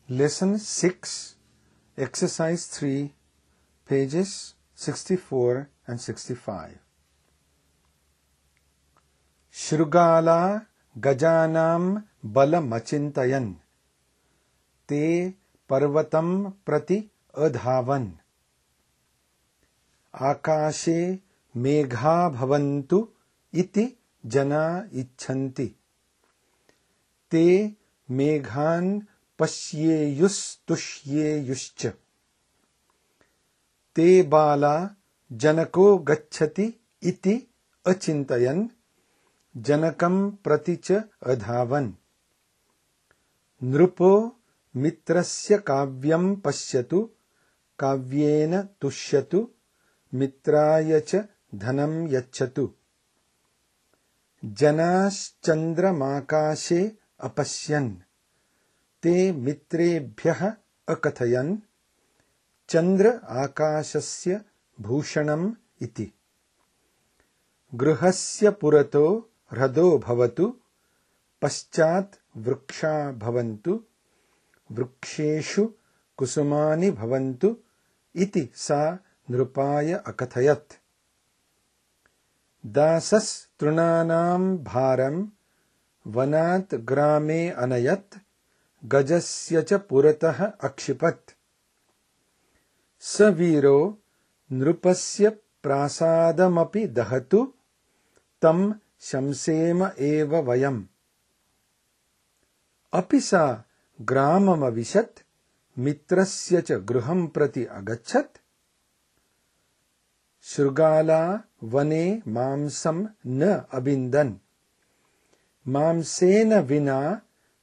Lesson 6, Exercise 3, pages 64 and 65. Shrugala gajanam balamachintayan te parvatam prati adhavan akashe megha bhavantu iti jana icchanti te meghan पश्येयुस्तुष्येयुश्च ते बाला जनको गच्छति इति अचिन्तयन् जनकं प्रति च अधावन् नृपो मित्रस्य काव्यं पश्यतु काव्येन तुष्यतु मित्राय च धनं यच्छतु जनाश्चन्द्रमाकाशे अपश्यन् ते मित्रेभ्यः अकथयन् चन्द्र आकाशस्य भूषणम् इति गृहस्य पुरतो ह्रदो भवतु पश्चात् वृक्षा भवन्तु वृक्षेषु कुसुमानि भवन्तु इति सा नृपाय अकथयत् दासस्तृणानां भारं वनात् ग्रामे अनयत् गजस्य च पुरतः अक्षिपत् स वीरो नृपस्य प्रासादमपि दहतु तं शंसेम एव वयम् अपि सा ग्राममविशत् मित्रस्य च गृहं प्रति अगच्छत् शृगाला वने मांसं न अबिन्दन् मांसेन विना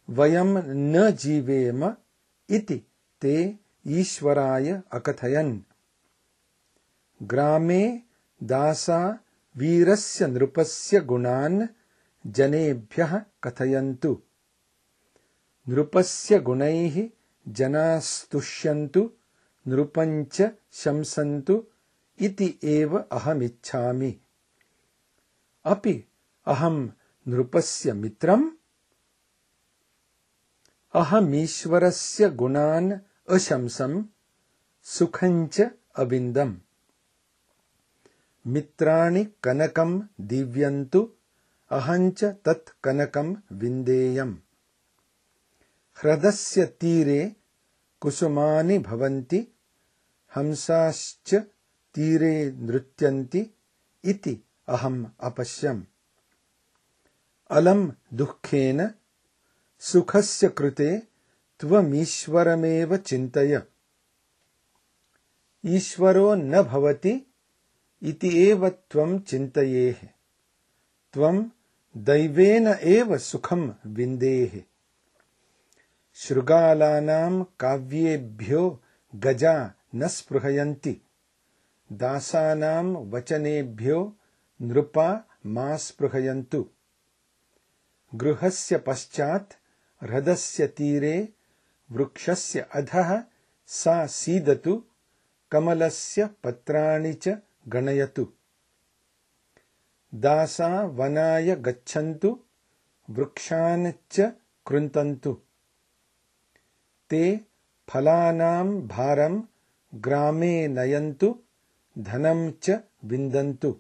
वयं न जीवेम इति ते ईश्वराय अकथयन् ग्रामे दासा वीरस्य नृपस्य गुणान् जनेभ्यः कथयन्तु नृपस्य गुणैः जनास्तुष्यन्तु नृपञ्च शंसन्तु इति एव अहमिच्छामि अपि अहं नृपस्य मित्रम् अहमीश्वरस्य गुणान् अशंसं सुखञ्च अविन्दम् मित्राणि कनकं दीव्यन्तु अहञ्च तत् कनकं विन्देयम् ह्रदस्य तीरे कुसुमानि भवन्ति हंसाश्च तीरे नृत्यन्ति इति अहम् अपश्यम् अलम् दुःखेन सुखस्य कृते त्वमीश्वरमेव चिन्तय ईश्वरो न भवति इति एव त्वं चिन्तयेः त्वं दैवेन एव सुखं विन्देः शृगालानां काव्येभ्यो गजा न स्पृहयन्ति दासानां वचनेभ्यो नृपा मा स्पृहयन्तु गृहस्य पश्चात् ह्रदस्य तीरे वृक्षस्य अधः सा सीदतु कमलस्य पत्राणि च गणयतु दासा वनाय गच्छन्तु वृक्षान् च कृन्तन्तु ते फलानां भारं ग्रामे नयन्तु धनं च विन्दन्तु